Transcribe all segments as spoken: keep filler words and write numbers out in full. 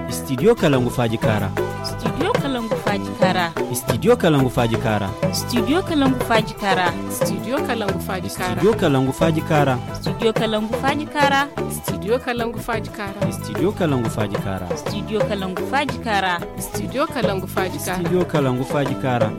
Studio Kalangu Faaji Kaara. Studio Kalangu Faaji Kaara. Studio Kalangu Faaji Kaara. Studio Kalangu Faaji Kaara. Studio Kalangu Faaji Kaara. Studio Kalangu Faaji Kaara. Studio Kalangu Faaji Kaara. Studio Kalangu Faaji Kaara. Studio Kalangu Faaji Kaara. Studio Kalangu Faaji Kaara. Studio Kalangu Faaji Kaara. Studio Kalangu Faaji Kaara.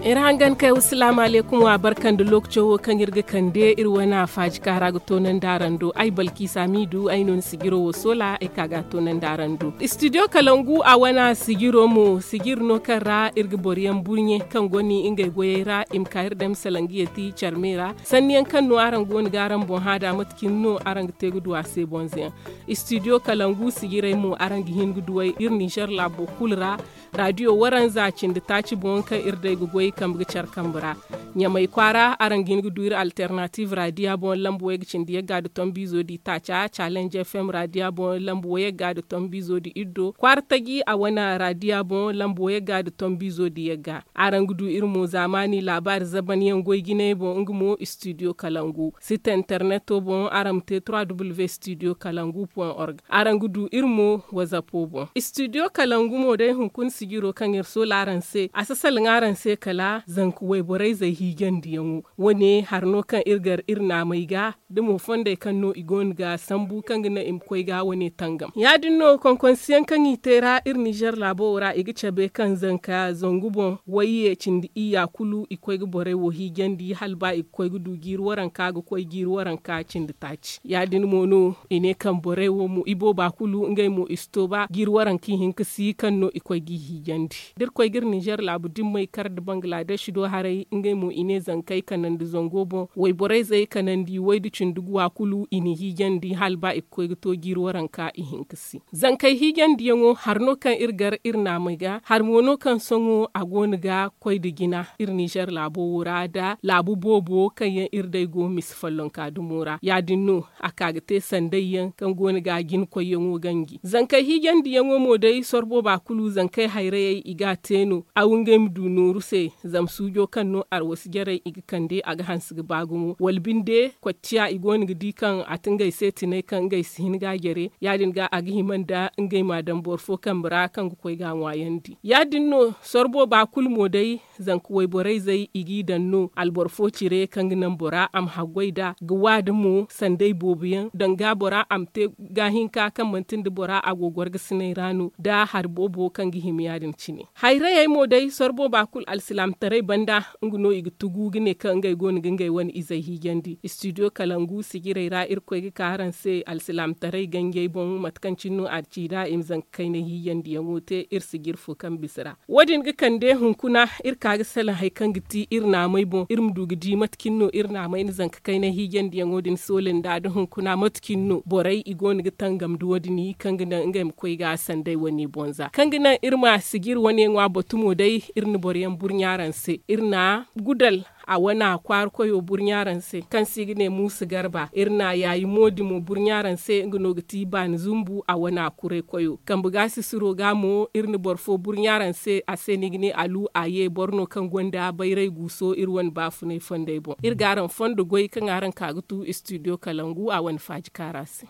Iri hangan kay, wassalaamu aleykum, wa barka nda lookaco wo kaŋ iri ga kande iri wane faaji kaara ga toonandi araŋ do. Ay Balkiisa Miidu, ay no ni sijiro wo soola, ay ka ga a toonandi araŋ do. Studio Kalangu a wane sijiro mo, sijiri no kaŋ ra iri ga boro yaŋ burɲe kaŋ gonda ngey goyey ra, i ma ka iri dam salaŋ ga yeeti care me ra. Sanni yaŋ kaŋ no araŋ go no ga araŋ boŋ hã nd'a, mate cine no araŋ ga te ga du a se bonza yaŋ. Studio Kalangu sijirey mo, araŋ ga hin ga duw'ey iri Nizer laabo kulu ra. Radiyo waranza cindi taaci boŋ kaŋ iri day ga goy kambe ga care kambe ra. Ɲamay kwaara, araŋ ga hin ga du iri Alternatiiv radiya boŋ lamba wayga cindi yagga nda tombiizo nda itaaca, Challenge F M radiya boŋ lamba wayagga nda tombiizo nda iddo, Kwaara Taji a wane radiya boŋ lamba wayagga nda tombiizo nda yagga. Araŋ ga du iri mo zaamaani laabaari zaban yaŋ goy jinay boŋ, nga mo Studio Kalangu. Site interneto boŋ, araŋ ma te trois W Studio Kalangu point org. Araŋ ga du iri mo WhatsAppo boŋ. Studio Kalangu mo day, hunkuna sijiro kaŋ iri soola araŋ se, a si salaŋ araŋ se kala zanka wayborey zey hiijandiyaŋo. Wo-ne hari no kaŋ iri gar iri naamey ga, da mo fondey kaŋ no i go no ga sambu kaŋ ga naŋ i ma koy ga wo-ne tangam. Ya-din no, konkonsiyaŋ kaŋ i te ra iri Nizer laabo wo ra, i ga cabe kaŋ zanka zangu boŋ wayye cindi iyya kulu i koy ga borey wo hiijandi, hala ba i ga koy ga du jiiri waranka ga koy jiiri waranka cindi taaci. Ya-din mo no i ne kaŋ borey wo mo, ibooba kulu ngey mo i si to ba jiiri waranka ihinka si kaŋ no i koy g'i hiijandi. Da iri koy ga iri Nizer laabu dimmey kar nda Bangladesh do haray, ngey mo i ne zankey kanandi zango boŋ, wayborey zey kanandi way nda cindi guwa kulu i na hiijandi hala ba i ga koy ga to jiiri waranka ihinka si. Zankey hiijandiyaŋo, hari no kaŋ iri gar iri naamey ga, hari mo no kaŋ sohõ a go no ga koy nda jina iri Nizer laabo wo ra, nda laabu boobo kaŋ yaŋ iri day go misa follonka dumo ra. Ya-din no a ka ga te sanday yaŋ kaŋ go no ga jina koyyaŋo ganji. Zankey hiijandiyaŋo mo day, sorro booba kulu zankey hayrayey i ga a te no, aw ngey ma du nooru se, zama suujo kaŋ no arwasi jarey i ga kande, a ga hanse ga ba gumo. Wala binde, kocciya i go no ga di kaŋ a ti ngey se tinay kaŋ ngey si hin ga a jare, ya-din ga a ga hima nda ngey m'a daŋ boro fo kambe ra kaŋ ga koy ga a ŋwaayandi. Ya-din no, sorro booba kulu mo day, zanka wayborey zey i g'i daŋ no, alboro fo cire kaŋ ga naŋ bora a ma haggoy nd'a, ga wa nda mo sanday boobo yaŋ, danga bora a ma te gaahinka kaŋ manti nda bora a go gorgasinay ra no, nda hari boobo kaŋ ga hima ya-din cine. Hayrayey mo day, sorro booba kulu alsilaamataray banda, nga no i ga tugu ga ne kaŋ ngey go no ga ngey wane izey hiijandi. Studio Kalangu sijirey ra, Irkoy ga ka araŋ se alsilaamataray ganjey boŋ, mate kaŋ cine no a ci nd'a i ma zanka kaynay hiijandiyaŋo te iri sijiri fo kaŋ bisa ra. Wo-din ga kande hunkuna, iri ka ga salaŋ hari kaŋ ga ti iri naamey boŋ, iri ma du ga di mate cine no iri naamey na zanka kaynay hiijandiyaŋo din soolin nd'a, da hunkuna mate cine no borey i go no ga tangam nda wo-din, kaŋ ga naŋ ngey ma koy ga sanday wane boŋ za. Kaŋ ga naŋ iri ma sijiri wane ŋwa batu mo day, iri na boro yaŋ burɲa araŋ se. Iri na gudal a wane kwaara koyo burɲa araŋ se, kaŋ se i ga ne Muusa Garba. Iri na yaayi mo dimo burɲa araŋ se, nga no ga ti baani zumbu a wane kuray koyo. Kambe ga sisiro ga mo, iri na boro fo burɲa araŋ se, a se no i ga ne Alu Aye, boro no kaŋ gonda bayray guuso iri wane baafunay fondey boŋ. Iri ga araŋ fondo goy kaŋ araŋ ka ga tu studio Kalangu a wane faaji kaara se.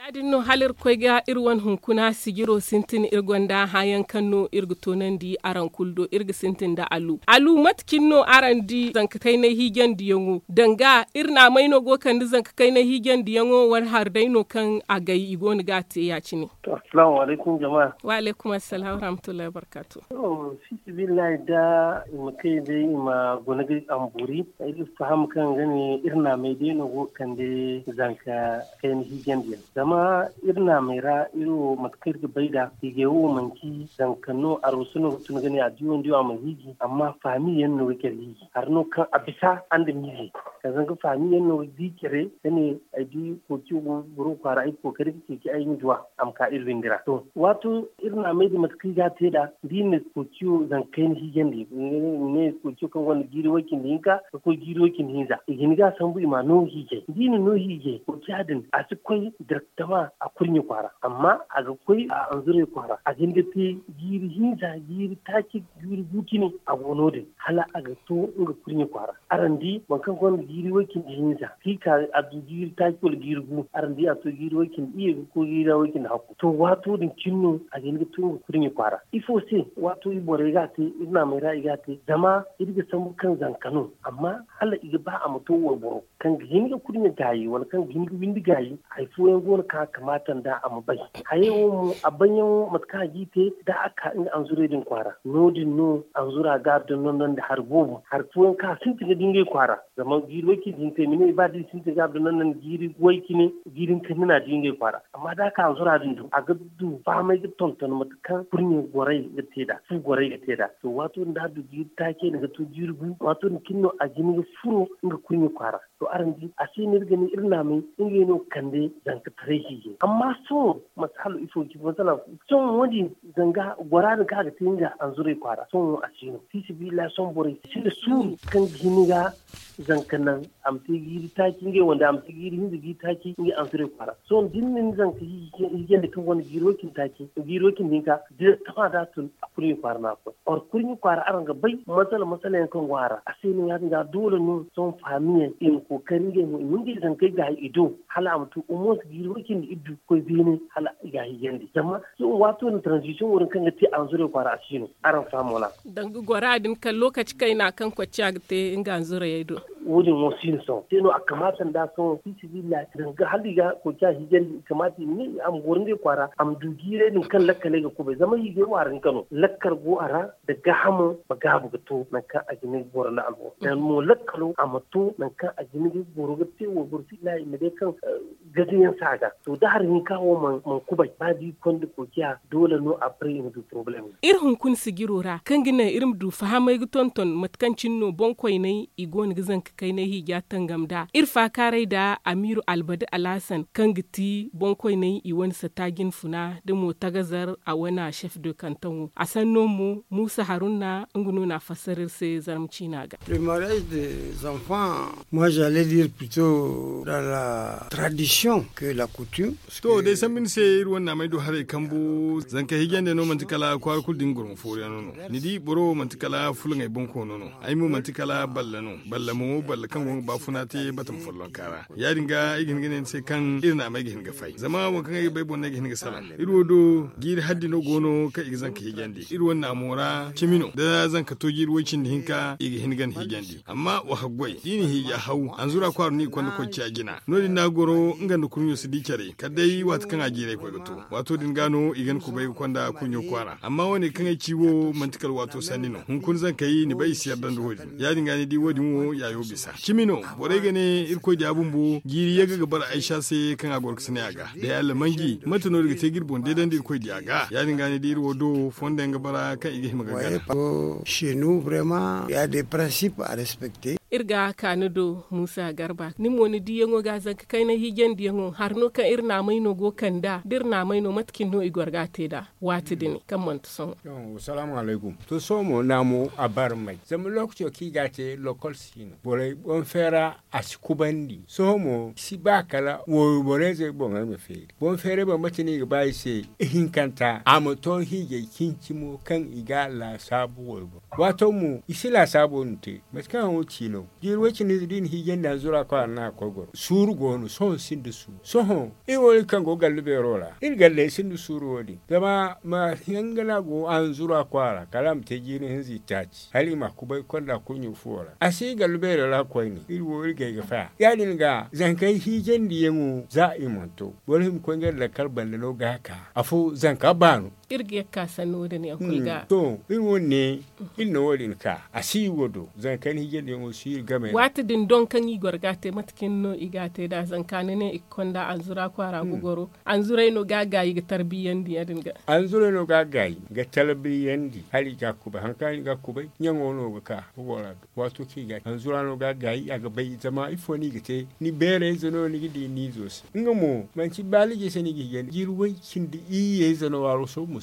Ya-din no, hala iri koy ga iri wane hunkuna sijiro sintin, iri gonda hããyaŋ kaŋ no iri ga toonandi araŋ kulu do. Iri ga sintin nda Alu. Alu, mate cine no araŋ di zanka kaynay hiijandiyaŋo? Danga iri naamey no go ga kande zanka kaynay hiijandiyaŋo, wala hari day no kaŋ a gay i go no ga a te ya-cine? To, assalaamu alaykum, jama. Wa alaykum assalaam wa rahmatullahi wa barkaatu. To, fi sabilillahi, da i ma kay day, i ma guna ga amburi, ay ga faham kaŋ ga ne iri naamey day no go ga kande zanka kayna hiijandiyaŋ. Zama iri naamey ra, iri wo, mate kaŋ iri ga bay nd'a, hiijay wo manti zanka no, arwasu no ga tun ga ne a di wo, ni di wo, a ma hiiji, amma faami yaŋ no ga care hiiji. Hari no kaŋ a bisa, a nda miize. Kala zanga faami yaŋ no ga di care, ga ne, ay di kooci go boro kwaara, ay ga kookari ga ceeci ay ma duw'a, a ma ka iri windi ra. To, waato iri naamey din, mate kaŋ i ga a te nd'a, da i na kooci wo zanka kayna hiijandi, ne kooci wo kaŋ gonda jiiri way cindi hinka ga koy jiiri way cindi hinza, i ga hin ga a sambu i m'a no hiijay. Da i na no hiijay, kooca din, a si koy direktama A kurɲe kwaara amma a ga koy a anzuray kwaara a ga hin ga te jiiri hinza jiiri taaci jiiri gu cine a go no- din hala a ga to nga kurɲe kwaara. Araŋ di boro kaŋ gonda jiiri way cindi hinza ka i ka a du jiiri taaci wala jiiri gu araŋ di a to jiiri way cindi iyye ga koy jiiri way cindi hakku to waato din cine no a ga hin ga to nga kurɲe kwaara. Ifo se? Waato i borey ga a te iri naamey ra i ga a te zama iri ga sambu kaŋ zanka no amma hala i ga ba a ma to wayboro kaŋ ga hin ga kurɲe gaayi wala kaŋ ga hin ga windi gaayi. Hari fooyaŋ go no kaŋ a kamaata nd'a a ma bay. Hayey wo mo a bayyaŋo mate kaŋ a g'i te da a ka nga anzurey din kwaara no- din no anzura ga a dondonandi hari boobo hari fooyaŋ kaŋ a sintin ga di ngey kwaara. Zama jiiri way cindi hinka ay ma ne ba da i sintin ga a dondonandi jiiri way cine jiiri hinka hinne no a di ngey kwaara. Amma da a ka anzura din do a ga du fahamay ga tonton mate kaŋ kurɲe gorey ga te nd'a fu gorey ga te nd'a. To waato din da a du jiiri taaci ay na ga to jiiri gu waato din cine no a ga hin ga furo nga kurɲe kwaara. To araŋ di a se no iri ga ne iri naamay ngey no ga kande zankataray hiijay amma sohõ mate hala ifo ga ci masalan sohõ wo- din zanga gora din kaŋ a ga te nga anzuray kwaara sohõ wo a si no fi sabilillahi sohõ borey sinda suuru kaŋ ga hin ga zanka naŋ a ma te jiiri taaci ngey wande a ma te jiiri hinza jiiri taaci ngey anzuray kwaara. Sohõ da ni na ni zanka hiijandi kaŋ gonda jiiri way cindi taaci jiiri way cindi hinka da ni tama da a tun a kurɲe kwaara no a koy. Or kurɲe kwaara araŋ ga bay masala masala yaŋ kaŋ go a ra a se no ya- din ga doole no sohõ faamiyaŋ i ma kookari ngey mo i ma ngey zankey gaayi i do hala a ma to omonse jiiri way cindi iri du ga koy beene hala i ga a hiijandi zama sohõ waato din transition wo- din kaŋ ga te anzuray kwaara a si no. Araŋ faham wala? Danga gora din kala lookaci kayna kaŋ kocciya ga te nga anzurayey do. Wo- din wo si no sohõ se no a kamaata nd'a sohõ fi sabilillahi danga hala i ga kocciya hiijandi i kamaata i ma ne a ma goro ngey kwaara a ma du jiirey din kaŋ lakkaley ga kubay zama hiijay waara hinka no lakkal go a ra. Da gaahamo ma gaabu ga to nangu kaŋ a ga hin ga goro nda alboro nangu mo lakkalo a ma to nangu kaŋ a ga hin ga goro ga te wayboro se i ma day kaŋ gazayaŋ si a ga to da hari hinka wo mana kubay ba da i konda koociya doole no a baray i ma du porobalem. Iri hunkuna sijiro ra kaŋ ga naŋ iri ma du fahamay ga tonton mate kaŋ cine no boŋkoyney i go no ga zanka kaynay hiija tangam nd'a iri faakaaray nda amiiru albadi alhasan kaŋ ga ti boŋkoyney i wane satta jinfuna nda mo tagazar a wane chef de kanton wo a sanno mo muusa haruna nga no na a fassara iri se zarma ciina ga. Le mariage des enfants, moi j'allais dire plutôt dans la tradition que la coutume. To day sambu ni se iri wane naamay du haray kambu zanka hiijande no manti kala kwaara kulu din goro ma fooriyaŋo no. Ni di boro wo manti kala fulaŋey boŋ koono no. Ay mo manti kala balla no. Balla mo balla kaŋ go ga baafuna te batama follonka ra. Ya- din ga ay ga hin ga ne ni se kaŋ iri naamay ga hin ga fay zama waŋ kaŋ ay ga bay boŋ no ay ga hin ga salaŋ. Iri wo do jiiri haddi no go no kaŋ i ga zanka hiijandi iri wane naamo ra cimi no da zanka to jiiri way- cindi hinka i ga hin ga ni hiijandi. Amma wa haggoy da i na hiija haw anzura kwaaro no i konda koy ciya jina. No- din no a goro nga nda kurɲo si di care kala day waati kaŋ a jiiray koy ga to. Waato din ga no i ga ni kubay ga konda kurɲo kwaara amma wane kaŋ ay ci wo manti kala waato sanni no hunkuna zankey ni bay i si yarda nda wo- din ya- din ga ni di wo- din wo yaayo bisa cimi no. Borey ga ne irkoy diya bumbo jiiri yagga ga bara aysa se kaŋ a goro ga si ne a ga day allamanji mate no iri ga te ga iri boŋ deedandi irkoy diya ga ya- din ga ni di iri wo do fondo yaŋ ga bara kaŋ i ga hima ga gana. Chez nous vraiment il y a des principes à respecter. Iri ga ka ni do muusa garba ni mo ni diyaŋo ga zanka kayna hiijandiyaŋo hari no kaŋ iri naamay no go kand'a da iri naamay no mate cine no i goro ga a te nd'a waati din kaŋ manti sohõ. Salaamu alaykum. To sohõ mo naamo a barmay zama lookaco kaŋ i ga a te lokol si no borey boŋ feera a si kubandi sohõ mo si ba kala wooyo borey zey boŋey ma feeri boŋ feerey boŋ mate no i ga ba i se ihinkanta a ma to hiijay cincimo kaŋ i ga a laasaabu wooyo boŋ. Waato mo i si laasaabo din te mate kaŋ haŋo ci no jiiri way-cine ize da i na hiijandi hanzura kwaara no a ga koy goro suuru go no sohõ sinda suuru sohõ iri wo iri kaŋ go gallu beero ra iri galley sinda suuru wo- din zama ma hinga no a go hanzura kwaara kala a ma te jiiri hinza itaaci hala i ma a kubay konda kurɲo fuwo ra a si gallu beero ra koyne iri wo iri gay ga faya ya- din ga zankey hiijandiyaŋo za i mana to boro hima koy ngey lakkal banda no ga a ka afo zanka baano. Iri ga ye ga ka sanni wo- din yaŋ kulu ga to iri wo- ne iri na wo- din ka a si iri wo do zanka ni hiijandiyaŋo si iri game ra waati din doŋ kaŋ i goro ga a te mate cine no i ga a te nd'a zanka ni ne i ga konda anzura kwaara ga goro anzuray no ga a gaayi ga tarbiyandi ya- din ga anzuray no ga a gaayi ga tarbiyandi hala i ga a kubay hari kaŋ i ga a kubay ɲaŋo no ga ka ga goro a do waato kaŋ i ga a te anzura no ga a gaayi a ga bay zama ifo no i ga te ni beerayze no ni ga di ni izo se nga mo manti baaliji se no i ga hiijandi jiiri way- cindi iyye ize no waaro soobu ma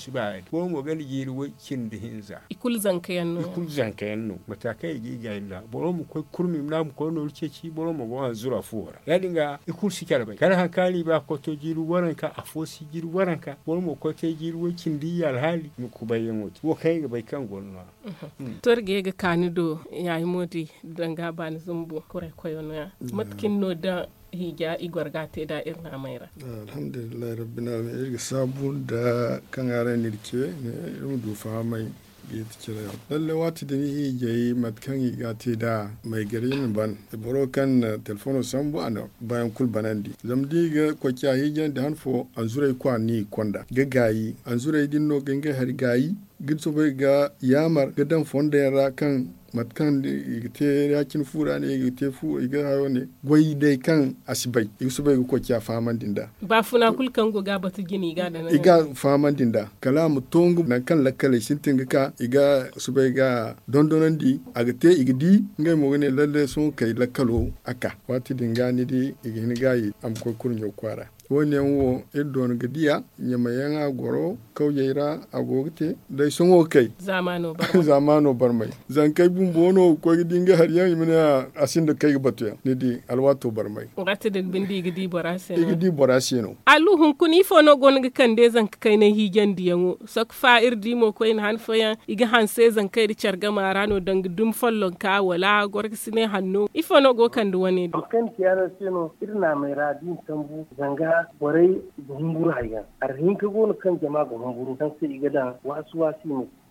Boro mo ganda jiiri way cindi hinza. I kulu zanka yaŋ no. Mata kaŋ i ga i gaay nda boro ma koy kurmi nda a ma koy nooru ceeci boro ma go hanzura fuwo ra ya- din ga i kulu si care bay kala hari kaŋ a na i ba koy to jiiri waranka afo si jiiri waranka boro ma koy te jiiri way cindi i alhaali ma kubay yaŋo te wo kaŋ i ga bay kaŋ go no no- ya. To iri ga ye ga ka ni do yayi moodi danga baani zumbu kuray koyo no- ya. Mate kaŋ ni no daŋ hiija i goro ga a te nd'a iri naamay ra? Alhamdulillahi rabbil alamin iri ga saabu nda kaŋ araŋ n'iri ce iri ma du fahamay ga yeeti cire yaŋ lalle waati din hiijay mate kaŋ i ga a te nd'a may gari na ban boro kaŋ na telefono sambu a na baayaŋ kulu banandi zama da i ga koy ciya hiijandi han fo anzuray kwaara no i ga konda ga gaayi anzuray din no ga ngey hari gaayi ga soobay ga yaamar ga daŋ fondo yaŋ ra kaŋ mate kaŋ i ga te ya- cine fu ra ne i ga te fu i ga hayo ne goy day kaŋ a si bay i ga soobay ga koy ciya fahamandi nd'a. Baafuna kulu kaŋ go ga a batu jine i ga a daŋ i ga fahamandi nd'a kala a ma to nga nangu kaŋ lakkaley sintin ga ka i ga soobay ga a dondonandi a ga te i ga di ngey mo ga ne lalle sohõ kay lakkalo a ka waati din ga ni di i ga hin ga a ye a ma koy kurɲo kwaara. Wo- ne yaŋ wo iri doona ga diya ɲamay yaŋ a goro kawyey ra a go ga te day sohõ kay zaamaano barmay zankey bumbo no ga koy ga di nga hari yaŋ i ma ne a sinda kay ga batu yaŋ ni di alwaato barmay. Waati din binde i ga di bora se no. Allu hunkuna ifo no go no ga kande zanka kaynay hiijandiyaŋo? Sokfa iri di mo koyne han fooyaŋ i ga hanse zankey nda care gama ra no danga dumi follonka wala gorkasinay hanno ifo no go ga kande wane din? Iri naamey ra da i na sambu zanga borey ga humburu hari yaŋ hari hinka go no kaŋ jama ga humburu kaŋ se i ga daŋ waasi waasi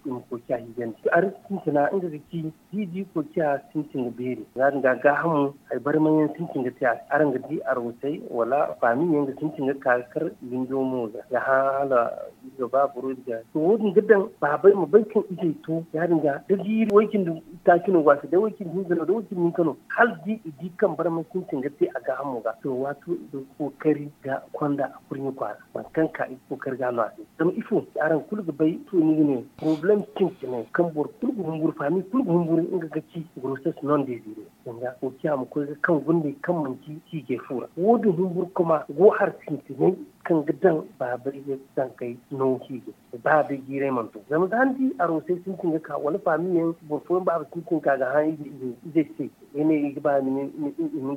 i ma koy ciya hiijandi hari sintina nga ga ci da i di koy ciya sintin ga beeri ya- din ga gaahamu hari barmay yaŋ sintin ga te a se araŋ ga di arwasey wala faami yaŋ ga sintin ga ka ga kar windo mo ga hã hala iri ga ba boro iri ga to wo- din ga daŋ baabey ma bay kaŋ izey to ya- din ga da jiiri way- cindi taaci no go a se day way- cindi hinza no day way- cindi hinka no hala da i di kaŋ barmay sintin ga te a gaahamo ga to waato i ga kookari ga konda a kurɲe kwaara boro kaŋ ka i ga kookari ga no a se zama ifo araŋ kulu ga bay ifo no i ga ne porobalem sintinay kaŋ boro kulu ga humburu faami kulu ga humburu nga ga ci gorosas non dezire zanga koociya ma koy ga kaŋ gundey kaŋ manci hiijay fu ra wo- din humburu koma go hari sintinay kaŋ ga daŋ baabey ga zankey no hiijay ba day jiiray mana to zama za ni di arosey sintin ga ka wala faamiyaŋ boro fooyaŋ baaba sintin ga ka ga hã izey se i ne i ga ba i ma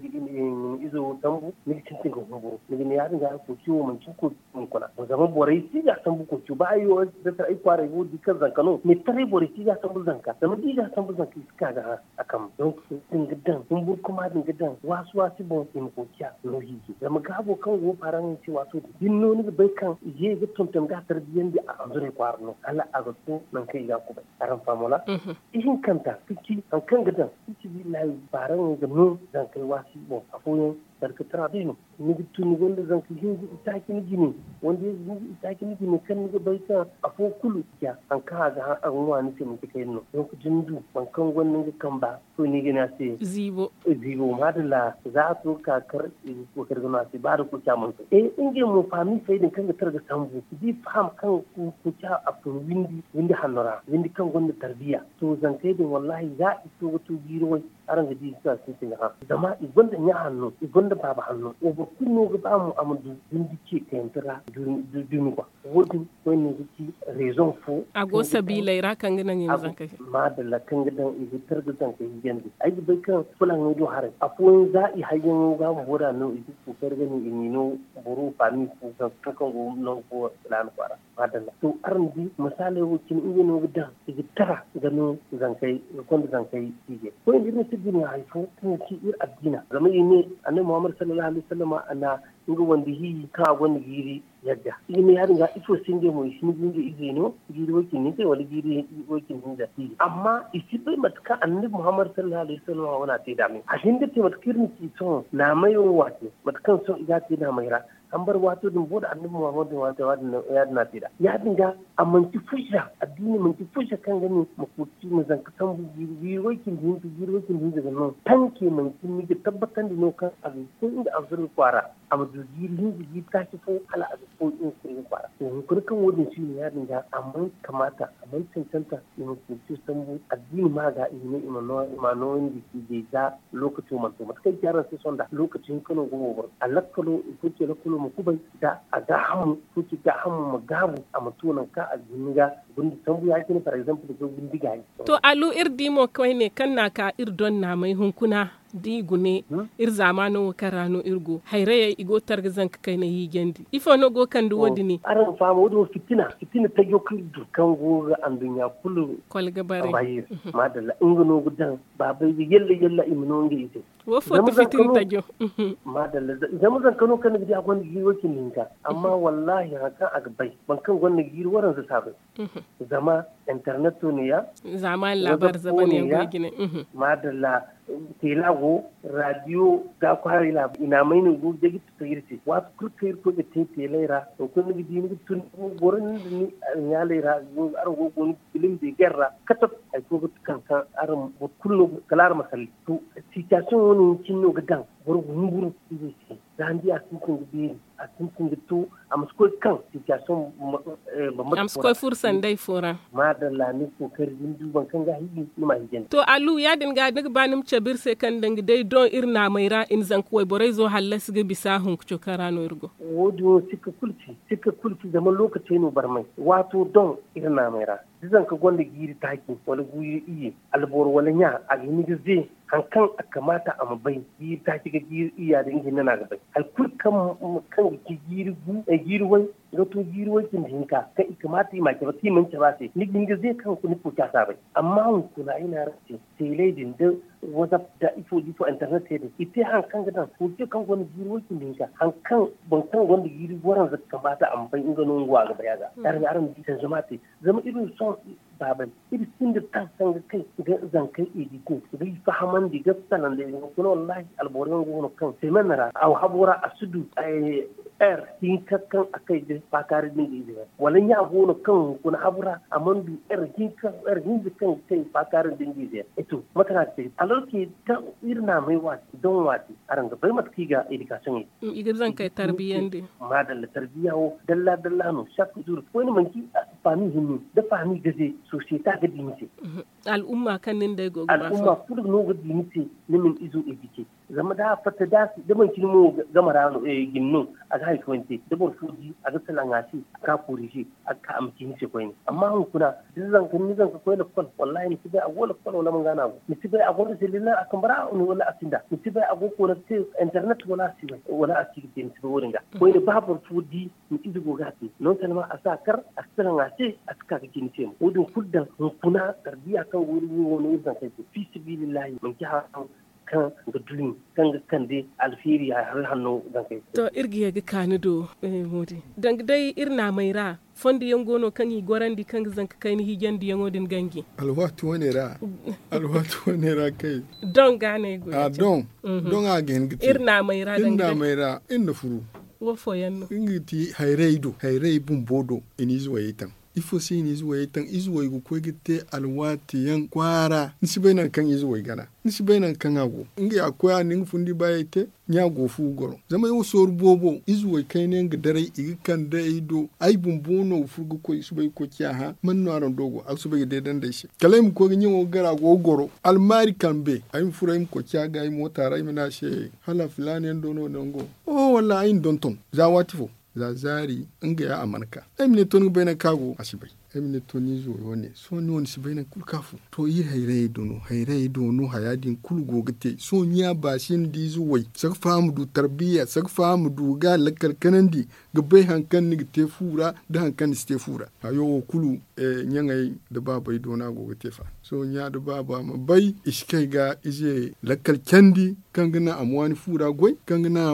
ni izo sambu ni ga sintin ga humburu ni ga ne ya- din ga koociyo manci koociyo hunkuna zama borey si ga sambu koociyo ba ay wo ay kwaaray wo di kaŋ zanka no me taray borey si ga sambu zanka zama da i ga sambu zanka i si ka ga hã a kambe donk sintin ga daŋ humburu kuma din ga daŋ waasi waasi boŋ i ma koociya no hiijay zama gaabo kaŋ go faaraŋ se waato din din no ni ga bay kaŋ i ga ye ga tonton ga tarbiyandi a anzuray kwaara no hala a ga to nangu kaŋ i ga a kubay araŋ fahamona ihinkanta ka ci hari kaŋ ga daŋ fi sabilillahi baaraŋey ga no zankey waasi boŋ afooyaŋ barkatara day no ni ga tun ni gonda zanka hinza itaaci ni jine wanda ize hinza itaaci ni jine kaŋ ni ga bay kaŋ afo kulu ya hari kaŋ a ga ŋwa ni se manci kayna no donk da ni du boro kaŋ gonda nga kamba to ni ga ne a se ziibo ziibo maadalla za a to ga ka kar i ga kookari ga no a se ba da koociya mana to e ngey mo faami fay din kaŋ ga tara ga sambu da i faham kaŋ koociya a fun windi windi hanno ra windi kaŋ gonda tarbiya to zankey din wallahi za i to ga to jiiri way araŋ ga di i ga sintin ga hã zama i gonda ɲa hanno i gonda baaba hanno wo boro kulu no ga ba mo a ma du windi ce kayante ra dumi kwa wo- din koyne ga ci rezoŋ fo a go sabiiley ra kaŋ ga naŋ i ma zankey maadalla kaŋ ga daŋ i ga tar ga zankey hijandi ay ga bay kaŋ fulaŋey do haray afooyaŋ za i hayyaŋo ga bumbo da no i ga kookari ga no i m'i no boro faami fo kaŋ go nangu fo filaana kwaara maadalla to araŋ di misaaley wo cine ngey no ga daŋ i ga tara ga no zankey ga konda zankey hiijay koyne iri ma si dima hari fo kaŋ ga ci iri addiina zama i ne annabi muhammad sallallahu alaihi wasallama a na nga wande hiiji kaŋ a gonda jiiri yagga i ne ya- din ga ifo se ngey mo i si ni ga ngey izey no jiiri way cindi hinka wala jiiri way cindi hinza amma i si bay mate kaŋ annabi muhammad sallallahu alaihi wasallama wane a te nd'a me a hin ga te mate kaŋ iri na ci sohõ naamay wo waate mate kaŋ sohõ i ga a te naamay ra hambar waato din boro da annabi muhammad din waato ya- din no ya- din no a te nd'a ya- din ga a manci fujja addiini manci fujja kaŋ ga ne ma koci ma zanka sambu jiiri way cindi hinka jiiri way cindi hinza ga no tanke manci ni ga tabbatandi no kaŋ a ga koy nga anzurga kwaara a ma du jiiri hinza jiiri taaci fo hala a ga koy nga koy nga kwaara. To hunkuna kaŋ wo- din si no ya- din ga a mana kamaata, a mana cancanta i ma sintin sambu addiini ma ga i ma ne i ma nooyandi i gay za. Lookaco mana to mate kaŋ i ci araŋ se sohõ nda lookaci hinka no go wo boro a lakkalo i fo ce lakkalo ma kubay da a gaahamu i fo ce gaahamu ma gaabu a ma to nangu kaŋ a ga hin ga gundi sambu ya- cine par exemple ga gundi gaayi. To alu iri di mo koyne kaŋ no a ka iri doŋ naamay hunkuna da i gune iri zaamaano wo kaŋ ra no iri go hayrayey i go ga targa zanka kayna hiijandi ifo no go ga kande wo- din? Araŋ ga faham wo- din wo fitina fitina tajo kaŋ iri du kaŋ go ga anduɲɲa kulu kolga bare. Maadalla nga no ga daŋ baabay ga yalla yalla i ma no nga ize. Wo fo ti fitina tajo. Maadalla zama zanka no kaŋ ni ga di a gonda jiiri way cindi hinka amma wallaahi hari kaŋ a ga bay boro kaŋ gonda jiiri waranza si a bay. Zama interneto ne ya. Zaamaani laabaari zaban yaŋ go i jine. Maadalla, teela go, raadiyo ga kwaaray laabaari i na a may no i go ga day ga tufa iri se waati kulu kaŋ iri koy ga te teelay ra. To kulu ni ga di ni ga tun boro ni nda ni alɲaalay ra. Araŋ go ga go ni ga bilim de gar ra katab. Hari fo ga kaŋ kaŋ araŋ boro kulu no kala araŋ ma salli to. Sitiyasiyoŋ wo- ne cine no ga daŋ boro ga humburu izey se. Za ni di a sintin ga beeri a sintin ga to a ma si koy kaŋ sitiyasiyoŋ. A ma si koy furo sanday fo ra. Maadalla ni kookari da ni du boro kaŋ ga a hiiji ni ma a hiijandi. To alu ya- din ga ni ga ba ni ma cabe iri se kaŋ danga day doŋ iri naamey ra i na zanka wayborey zo hallasi ga bisa hunka cokaŋ ra no iri go. Wo- din wo sikka kulu ci sikka kulu ci zama lookacey no barmay waato doŋ iri naamey ra da zanka gonda jiiri taaci wala jiiri iyye alboro wala ɲa a ga hin ga ze hari kaŋ a kamaata a ma bay jiiri taaci ga jiiri iyya din nga hinne no a ga bay hari kulu kaŋ ga ci jiiri way ga to jiiri way cindi hinka kaŋ i kamaata i ma a cabe kaŋ i mana cabe a se ni ga hin ga ze kaŋ ni fo ci a si a bay. Amma hunkuna ay ne araŋ se teelay din da wazap da ifo da ifo internet se din i te hari kaŋ ga daŋ fo ce kaŋ gonda jiiri way cindi hinka hari kaŋ boro kaŋ gonda jiiri waranza ga kamaata a ma bay nga no nga wo a ga bay a ga. Araŋ di sanzama te zama iri ma sohõ baabay iri sinda taŋ kaŋ ga kay ga zankey edite ga i fahamandi ga salanday hunkuna wallaahi alboro yaŋ go no kaŋ semen ra a habo ra a si du er hinka kaŋ a kay ga faakaari da nga ize yaŋ wala ɲa go no kaŋ hunkuna habo ra a mana du er hinka er hinza kaŋ ga kay faakaari da nga ize yaŋ. To mate no a ga te alors que kaŋ iri naamay waati daŋ waati araŋ ga bay mate kaŋ i ga edikasiyoŋey i ga zankey tarbiyandi. Maadalla tarbiya wo dalla dalla no chaque jour koyne manci faami hinne da faami gaze sosiyete a ga di ni se. Al'umma kaŋ nin day go ga ba al'umma kulu no ga di ni se ni ma ni izo edike. Zama da a fatta da manci ni mo game ra no jine no a ga hari fooyaŋ te da boro fo di a ga salaŋ a se a ga ka koorize a ga ka a ma ci ni se koyne. Amma hunkuna da ni zanka koy lakkol wallahi ni si bay a go lakkol wala a mana ga no a go ni si bay a gonda selilaŋ a kambe ra wala a sinda ni si bay a go ga koona ga te internet wala a si bay wala a si ga te ni si bay wo- din ga koyne ba boro fo di ni ize go ga a te non seulement a si a kar a si salaŋ a se a si ka ga ci ni se mo wo- din kulu daŋ hunkuna tarbiya kaŋ go iri wo no iri zankey se fi sabilillahi manci hari kaŋ ga dumi kaŋ ga kande alfeeri hari hanno zankey se. To iri ga ye ga ka ni do. Moodi danga day iri naamey ra fondo yaŋ go no kaŋ i gorandi kaŋ ga zanka kayna hiijandi yaŋo din ganji. Alwaati wane ra alwaati wane ra kay doŋ ga no ay go ya- cine doŋ a ga hin ga te iri naamey ra iri na furu. Wo fooyaŋ no nga ga ti hayray do hayray bumbo do i na ize wayey taŋ. Ifo se i na ize wayey taŋ ize way ga koy ga te alwaati yaŋ kwaara ni si bay nangu kaŋ ize way gana ni si bay nangu kaŋ a go nga ya ga koy a na nga fundi baayey te. Ɲa go fu ga goro zama ay wo sooru boobo ize way kayna yaŋ ga daray i ga kande ay do ay bumbo no ga furo ga koy i si bay ga koy ciya hã man no araŋ do go a ga soobay ga deedandi ay se kala ay ma koy ga ɲaŋo ga gar a go ga goro almaari kambe ay ma furo ay ma koy ciya ga ay moota ra ay ma ne a se hala filaana yaŋ do no nango. Oho wallaahi ay na donton za waati fo za zaari nga ya a mana ka ay ma ne to ni ga bay nangu kaŋ a go a si bay. Ay ma ne to ni izo wo- ne sohõ ni wo ni si bay nangu kulu kaŋ a fun to iri hayrayey do no hayrayey do no haya din kulu go ga te sohõ ɲa baasi ni da izo way saka faham du tarbiya saka faham du ga lakkal kanandi ga bay hari kaŋ ni ga te fu ra nda hari kaŋ ni si te fu ra. Hayo wo kulu ɲaŋey nda baabey do no a go ga te fa sohõ ɲa nda baaba ma bay i si kay ga ize lakkal candi kaŋ ga naŋ a ma waani fu ra goy kaŋ ga naŋ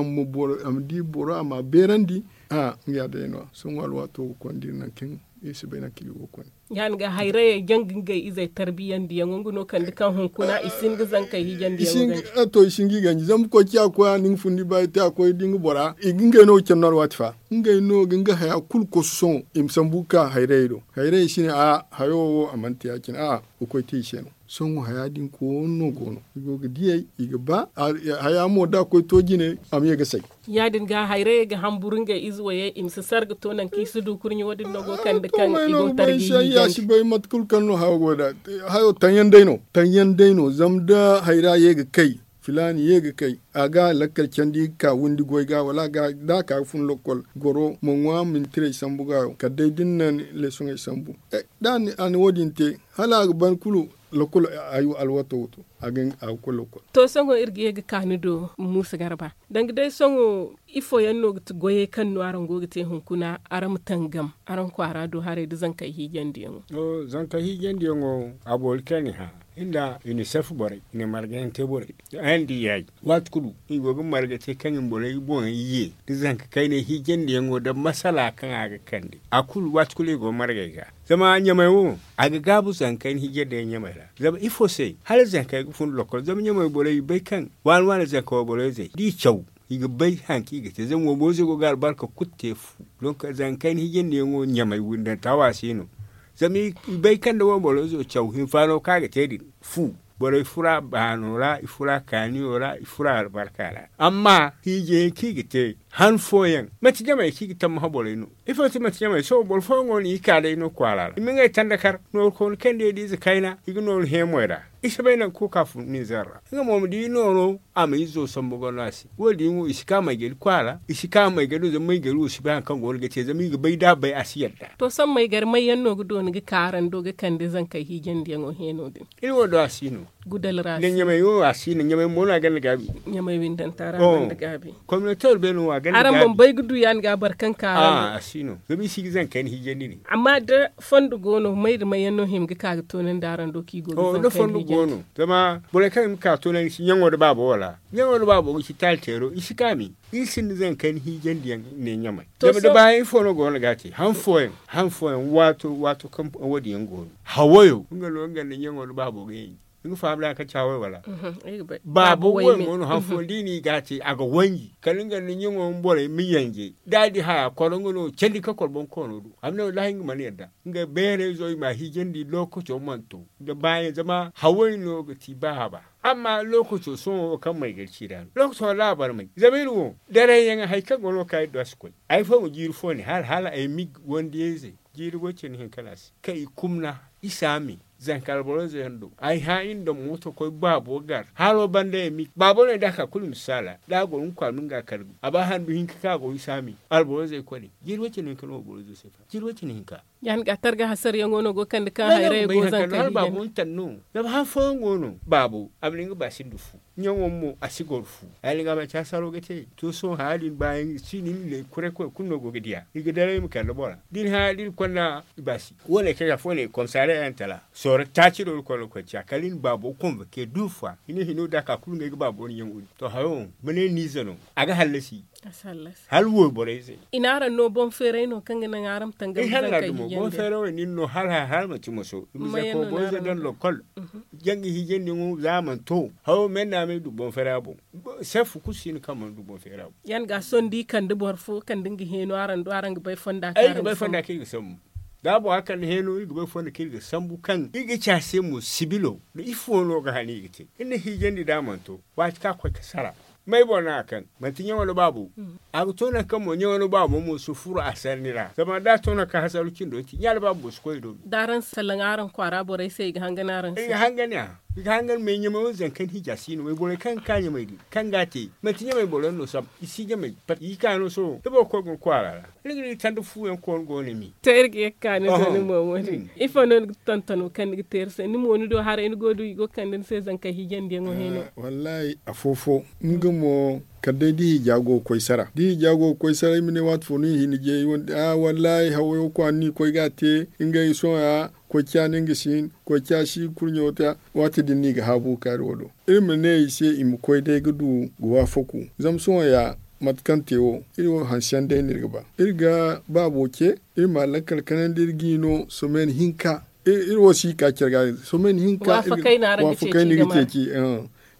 a ma di boro a ma a beerandi. Nga ya day no- ya sohõ alwaato ga konda iri nangu kaŋ Iri si bay nangu kaŋ iri go ga koy. Ya- din ga hayrayey jaŋ ga ngey izey tarbiyandiyaŋo nga no kande kaŋ hunkuna i si hin ga zankey hijandiyaŋo ganji. To i si hin ga i ganji zama koy ciya koy a na nga fundi ba i te a koy da nga bora i ga ngey no ga care no alwaati fa. Ngey no ga nga haya kulu kosu sohõ i ma sambu ga ka hayrayey do. Hayrayey si ne a hayo wo a mana te ya- cine a ga koy te i se no. Sohõ haya din koono go no i go ga diyey i ga ba. Haya mo da a koy to jine a ma ye ga say. Ya- din ga hayrayey ga hamburu ngey ize woyey i ma si sara ga to nangu kaŋ i si du kurɲe wo- din no go kande kaŋ i go tarji hijanji. Ya si bay mate kulu kaŋ no hayo go da. Hayo taŋyaŋ day no. Taŋyaŋ day no zama da hayra ye ga kay filaani ye ga kay a ga lakkal candi ga ka windi goy ga wala a ga da a ka ga fun lokkol goro ma ŋwa mintirey sambu ga yaŋ kala day da ni na ni leesoŋey sambu. Da a na wo- din te hala a ga ban kulu. Lokkol alwato wato a ga koy lokkol. To sohõ iri ga ye ga ka ni do muusa garba danga day sohõ ifo yaŋ no ga ti goyey kaŋ no araŋ go ga te hunkuna araŋ ma tangam araŋ kwaara do haray nda zankey hiijandiyaŋo. Zankey hiijandiyaŋo a boori kaŋ i hã nda unicef borey i na marga yaŋ te borey. Araŋ di yaaji waati kulu i go ga marga te kaŋ i ma borey boŋey ye nda zanka kayney hiijandiyaŋo nda masala kaŋ a ga kande a kulu waati kulu i go ga margey ga. Zama ɲamey wo a ga gaabu zanka kayney hiijandiyaŋ ɲamey ra. Zama ifo se hala zankey ga fun lokkol zama ɲamey borey i bay kaŋ waani waani zanka wayborey zey da i caw i ga bay hari kaŋ i ga te zama wayborey zey go ga albarka kulu te fu. Donk zanka kayney hiijandiyaŋo ɲamey windanta wo a si no. Zama i bay kaŋ nda wayborey zey caw hinfaano kaŋ a ga te din fu borey fura baano ra i fura kaaniyo ra i fura albarka ra. Amma hiijay kaŋ i ga te han fooyaŋ manti ɲamey kaŋ i ga tammaha borey no. Ifo se manti ɲamey sohõ boro fooyaŋo no i ka day no kwaara ra i ma ngey tanda kar nooru koyne kaŋ day da ize kayna i ga nooru heemey ra. I si bay nangu kulu kaŋ a fun ninzeer ra nga mo ma di nooru a ma izo sambu ga no a se wo- din wo i si ka maygari kwaara i si ka maygari wo zama maygari wo si bay hari kaŋ go no ga te zama i ga bay da a bay a si yadda. To sohõ maygari may yaŋ no ga dooni ga ka araŋ do ga kande zankey hiijandiyaŋo heeno din? Iri wo do a si no. Gudal ra a si no. Ɲamey wo a si no ɲamey mo no a gonda gaabi. Ɲamey windanta ra gonda gaabi. Kominote urbeeno wo a gonda gaabi. Araŋ mana bay ga du ya- din ga boro kaŋ ka araŋ do a si no zama i si ga zankey ni hiijandi ne. Amma da fondo go no may da may yaŋ no hima ga ka ga toonandi araŋ do kaŋ i go ga zankey ni hiijandi? Da fondo go no zama borey kaŋ hima ga ka toonandi si ɲaŋo nda baabo wala ɲaŋo nda baabo ga ci taali teero i si kaami. Iri sinda zankey ni hiijandiyaŋ ne ɲamey. Zama da baayaŋ ifo no go no ga a te han fooyaŋ han fooyaŋ waato waato kaŋ wo- din yaŋ go no hawayo nga no nga nda ɲaŋo nda baabo ga yaŋ. Ni ga faham da hari kaŋ ci haway wala? Baabo way mo no han fooyaŋ da i na i ga a te a ga wanji kala nga nda ɲaŋo ma borey ma yanje da a di haya koro nga no candi ka koro boŋ koono do a ma ne wallaahi nga mana yadda. Nga beerayzo i ma a hiijandi lookaco mana to. Nda baayaŋ zama haway no ga ti ba haba. Amma lookaco sohõ wo kaŋ maygari ci ra no lookaco wallaahi a barmay zama iri wo darayyaŋ hari kaŋ go no ga ka iri do a si koy. Hari fooyaŋ jiiri fo ne hala hala ay mig wandiyayze jiiri way cindi hinka no a se kaŋ i kumna i si a me. Zanka alborayze yaŋ do ay hã iri nda mooto koy baabo gar halo banda ya mi baabo no ay da a ka kulu i ma si saala da a goro nga kwaara ma nga kar a ba handu hinka kaŋ a go i si a mi. Alborayze ay kone jiiri way cindi hinka no alborayzo se fa jiiri way cindi hinka. Ya- din ga targa hasarayaŋo no go kande kaŋ hayray go zanka hala baabo ma tan no. Zama han fooyaŋ go no baabo a ma ne nga ba sinda fu ɲaŋo mo a si goro fu. Hala nga manci hasaro ga te to sohõ haya din baayaŋ si no iri ne kuray koy kulu no go ga diya i ga daray ma kande bora da iri hã da iri konda i baasi. Wo- ne kaŋ afo ne komisariya yaŋ tala sooro taaci do iri koy no koy ciya kala iri na baabo konvoke du fa i ne hino da a ka kulu ngey ga baabo no ɲaŋo din to hayo ma ne niize no. A ga hallasi. Hala wo borey se i na araŋ no boŋ feeray no kaŋ ga naŋ araŋ ma tangam ga zankey hiijandi boŋ feeray wo nin no hala hala manti moso i ma zanka wo borey se daŋ lokol. Janga hiijandi ŋo za a mana to hawo men no a ma ay du boŋ feeray a boŋ. Sefu kulu si no kaŋ mana du boŋ feeray a boŋ. Yan ga sohõ da i kande boro fo kande nga heeno araŋ do araŋ ga bay fonda kaŋ i ga bay fonda kaŋ i ga sambu. Da a boŋ a kande heeno iri ga bay fonda kaŋ iri ga sambu kaŋ iri ga ci a se mo sibilo da ifo no ga hana i ga te iri na hiijandi da a mana to. Waati kaŋ a koy ga sara may boro no a kaŋ manti ɲaŋo nda baabo. A ga to nangu kaŋ mo ɲaŋo nda baabo mo si furo a sarni ra zama da a to nangu kaŋ hasaru cindo ti ɲa nda baabo mo si koy i do. Da araŋ salaŋ araŋ kwaara borey se i ga hangan araŋ se i ga hangan a i ga hangan me ɲamay wo zankey nda hija si no wayborey kaŋ ga ka ɲamay din kaŋ ga a te manti ɲamay boro yaŋ no sam i si ɲamay pat i ga ka no sohõ da boro koy ga ni kwaara ra. Ni ga ni tanda fu yaŋ koonu go no mi. To iri ga ye ga ka ni do ni mo wo- din ifo no ni ga tonton wo kaŋ ni ga te iri se ni mo ni do haray ni go ga du i go ga kande ni se zankey hiijandi yaŋo hino. Wallahi afo-fo nga mo kala day da hija go ga koy sara da hija go ga koy sara i ma ne waati fo no i hina jeeyi wande a wallahi hawayo kwaara no i koy ga a te. Ngey sohõ ya koy ciya no nga si hin koy ciya si kurɲo ta. Waati din no i ga haabu ga ka iri wo do iri ma ne i se i ma koy day ga du ga waafaku. Zama sohõ ya Mate kaŋ te wo iri wo hanse yaŋ day no iri ga ba iri ga baabo ce. Iri ma lakkal kanandi iri g'i no someni hinka. Iri wo si ka care ga someni hinka. Waafakay no iri ga te ci.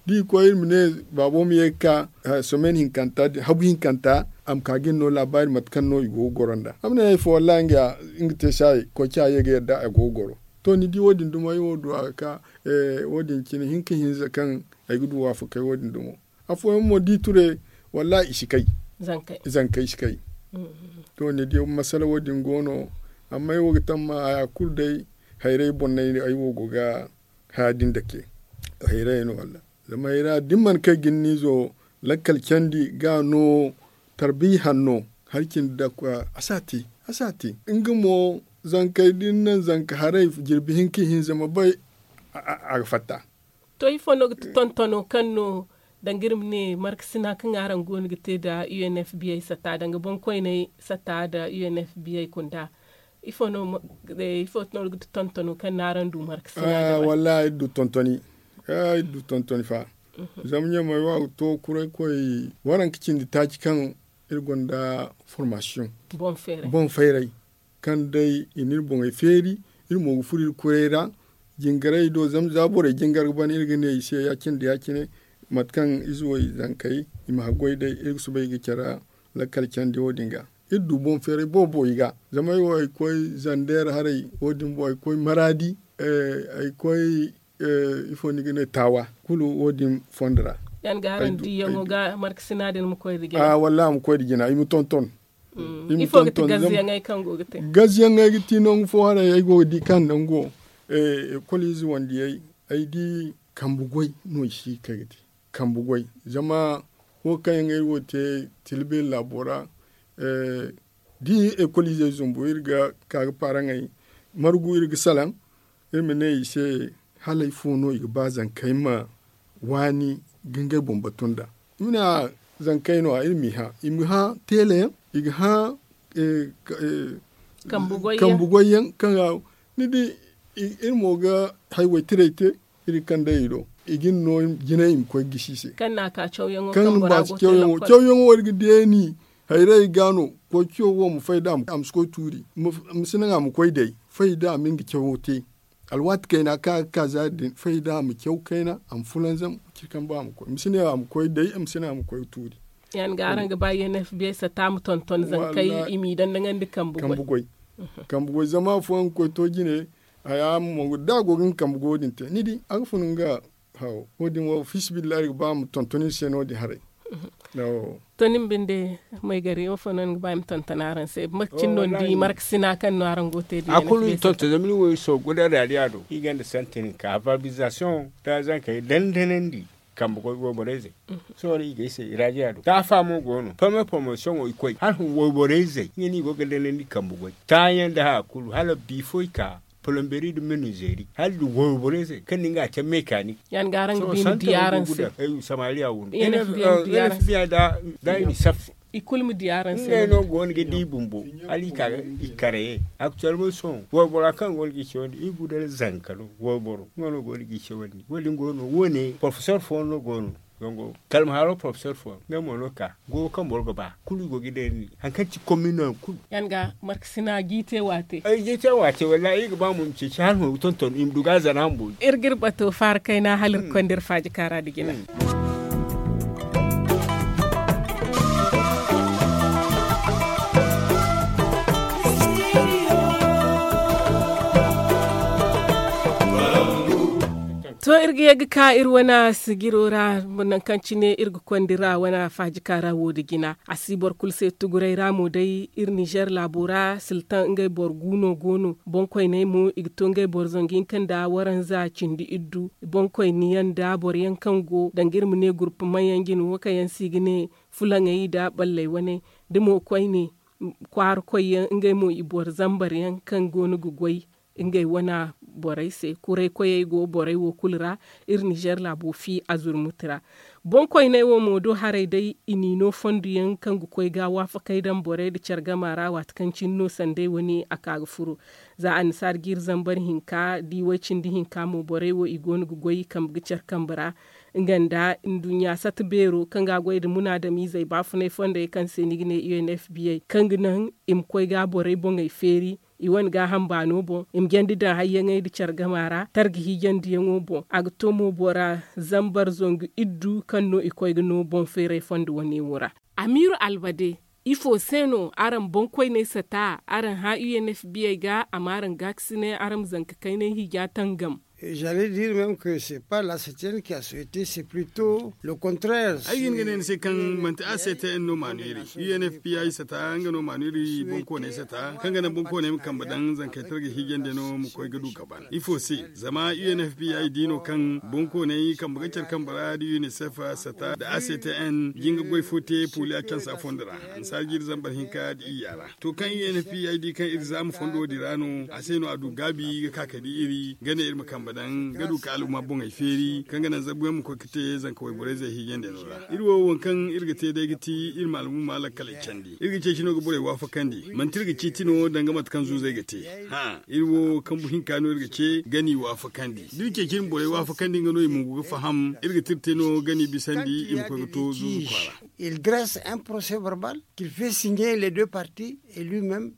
Da i koy iri ma ne baabo ma ye ga ka someni hinkanta din habu hinkanta a ma ka ga iri no laabaari mate kaŋ no i go ga goro nd'a a ma ne hari fo wallahi nga te se a ye koy ci a ye ga yadda a go ga goro. To ni di wo- din dumo ay wo du a ga ka wo- din cine hinka hinza kaŋ ay ga du waafakay wo- din dumo. Afooyaŋ mo da i ture wallahi i si kay. Zankey si kay. To ni di masala wo- din go no. Amma ay wo ga tamma haya kulu day hayray boŋ no ay wo go ga haya din dake. Hayray no walla zama hayra da ni mana kay ga ni niizo lakkal candi ga no tarbiya hanno hari cindi dakwa a si a te. A si a te nga mo zankey da ni naŋ zanka haray jirbi hinka ihinza ma bay. A ga fatta. To ifo no ga ti tontono kaŋ no danga iri ma ne markasina kaŋ araŋ go no ga te nda unfba sata danga boŋkoyney sata nda unfba kunda? Ifo no ga ti tontono kaŋ no araŋ du markasina? Wallahi iri du tontoni. Iri du tontoni fa. Zama ɲamey wo a ga to kuray koy waranka cindi taaci kaŋ iri gonda formasiyoŋ boŋ fayray kaŋ day i na iri boŋey feeri. Iri mo ga furo iri kuray ra jingaray do zama za borey jingar ga ban iri ga ne i se ya- cine da ya- cine mate kaŋ ize wo i zankey i ma haggoy day iri ga soobay ga care lakkal candi wo- din ga. Iri du boŋ feeray boobo i ga zama ay wo ay koy zander haray wo- din boŋ ay koy maraadi ay koy ifo ni ga ne taawa kulu wo- din fondo ra. Yaŋ ga araŋ diyaŋo ga markasina din ma koy nda jina. Wallaahi a ma koy nda jina i ma tonton. Ifo ga ti gaziyaŋey kaŋ go ga te? Gaziyaŋey ga ti nangu fo haray ay go ga di kaŋ nango ekol ize wandiyey ay di kambe goy no i si ga kay ga te. Kambe goy zama wo kaŋ yaŋ ay wo te tilbeeri laabo ra da ekol izey zumbu iri ga ka ga paaraŋey margu iri ga salaŋ iri ma ne i se hala ifo no i ga ba zankey ma waani ga ngey boŋ batu nda. Iri ne a zankey no- ya iri m'i hã i ma hã teele yaŋ i ga hã kambe goy yaŋ kaŋ ga ni di iri mo ga hayway tiray te iri kaŋ day i do i ga ni no jinay i ma koy ga gisi i se. Kaŋ ni ma ba si cawyaŋo iri ga deeni hayray ga no koy caw wo ma fay da a ma si koy tuuri ma si naŋ a ma koy day fay da a ma nga cawo te. Alwaati kayna kaŋ a ga ka zaari din fay da a ma caw kayna a ma fulanzam. Ciri kaŋ ba a ma koy ma si ne a ma koy day ma si ne a ma koy tuuri. Yaŋ ga araŋ ga ba unfba sata ma tonton zankey i m'i dandaŋandi kambe goy. Kambe goy zama afooyaŋ ga koy to jine haya mo da a go ga nga kambe goyo din te ni di a ga fun nga haw wo- din wo fiisabilillahi iri ga ba ma tonton iri se no- din haray. To ni ma binde maygari wo fo no ni ga ba i ma tonton araŋ se mate cine no ni di markasina kaŋ no araŋ go ga te da a kulu i tonton zama iri wo iri soogu nda raadiya do iri gonda sante ni ka valorizasion da zankey dandanandi kambe goy wayborey zey. Sohõ iri ga ay se raadiya do taafa mo go no pame promotion wo i koy hala hun wayborey zey nga no i go ga danandi kambe goy taayaŋ nda haya kulu hala biifo i ka polomberi nda menuzeri hala nda wayborey zey kaŋ ni nga a te mekanik. Yaŋ ga araŋ ga bi ma di araŋ se samariya wo no. N f b i da i ma saffu i kulu ma di araŋ se ngey no go no ga di bumbo hala i ka i karaye aktuwelman sohõ waybora kaŋ go no ga i cawandi i gudal zanka no wayboro nga no go no ga i cawandi wo- din go no wo- ne porofesor fooyaŋ no go no. Kalma haro porofesor fooyaŋ ngey mo no ka goyo kaŋ boro ga ba kulu i go ga i day ni hari kaŋ ci komin no yaŋ kulu. Yaŋ ga markasina ga i te waate ay ga i te waate wallahi iri ga ba mo i ma ceeci hala mo ga tonton i ma du ga a zana mo boori. Iri ga iri bato faara kayna hala iri ga konda iri faaji kaara nda jina. To iri ga ye ga ka iri wane sijiro ra nangu kaŋ cine iri ga konda iri wane faaji kaara wo- din jina a si boro kulu se tuguray ra mo day iri nizer laabo ra siltan ngey boro gu no go no boŋkoyney mo i ga to ngey boro zangu hinka nda waranza cindi iddu boŋkoyne yaŋ nda boro yaŋ kaŋ go danga iri ma ne gurpumaŋ yaŋ jine wo kaŋ yaŋ se i ga ne fulaŋey nda balley wane da mo koyne kwaara koy yaŋ ngey mo i boro zambar yaŋ kaŋ go no ga goy. Ngey wane borey se kuray koyey go borey wo kulu ra. Iri nizer laabo fi a zurmuti ra. Boŋkoyney wo mo do haray day i n'i no fondo yaŋ kaŋ ga koy ga waafakey daŋ borey nda care gama ra waati kaŋ cine no sanday wane a ka ga furo. Za annasaara jiiri zambar hinka da i way cindi hinka mo borey wo i go no ga goy i kambe ga care kambe ra. Nga nda nduɲɲa sata beero kaŋ ga a goy nda munaadamiizey baafunay fondey kaŋ se ni ga ne u n f b a kaŋ ga naŋ i ma koy ga borey boŋey feeri. I wane gaaham baano boŋ i ma jandi daŋ hayyaŋey nda care gama ra targa hiijandiyaŋo boŋ a ga to mo bora zambar zangu iddu kaŋ no i koy ga no boŋ feeray fondo wane wo ra. Amiiru albade, ifo se no araŋ boŋkoyney sata araŋ hã u n f b a ga a ma araŋ gaakasinay araŋ ma zanka kaynay hiija tangam? J'allais dire même que c'est pas la septième qui a souhaité, c'est plutôt le contraire. Ay ga hin ga ne ni se kaŋ manti a c t n no maanu iri u n f p i sata nga no maanu iri boŋkooney sata kaŋ ga naŋ boŋkooney ma kambe daŋ zankey targa hiijandi no ma koy ga du ga ban ifo se? Zama u n f p i di no kaŋ boŋkooney kambe ga care kambe ra da unicef sata da a c t n jinga goy fo te pooli a cansa fondo ra. Annasaara jiiri zambar hinka da iyya ra to kaŋ u n f p i di kaŋ iri zaama fondo din ra no a se no a du gaabi ga ka ka di iri ga ne iri ma kambe daŋ ga du ka al'umma boŋey feeri kaŋ ga naŋ zabuyaŋ ma koy ga te zanka wayborey zey hiijandi no ra. Iri wo waŋ kaŋ iri ga te day ga ti iri ma al'umma lakkaley candi iri ga ceeci no ga borey waafakandi manti iri ga ciiti no danga mate kaŋ zuuzey ga te. Hã iri wo kambu hinka no iri ga ce ga n'i waafakandi da iri ceeci iri ma borey waafakandi nga no i ma ngu ga faham iri ga tira te no ga n'i bisandi i ma koy ga to zuuzu kwaara. Il dresse un procès verbal qu'il fait signer les deux parties et lui même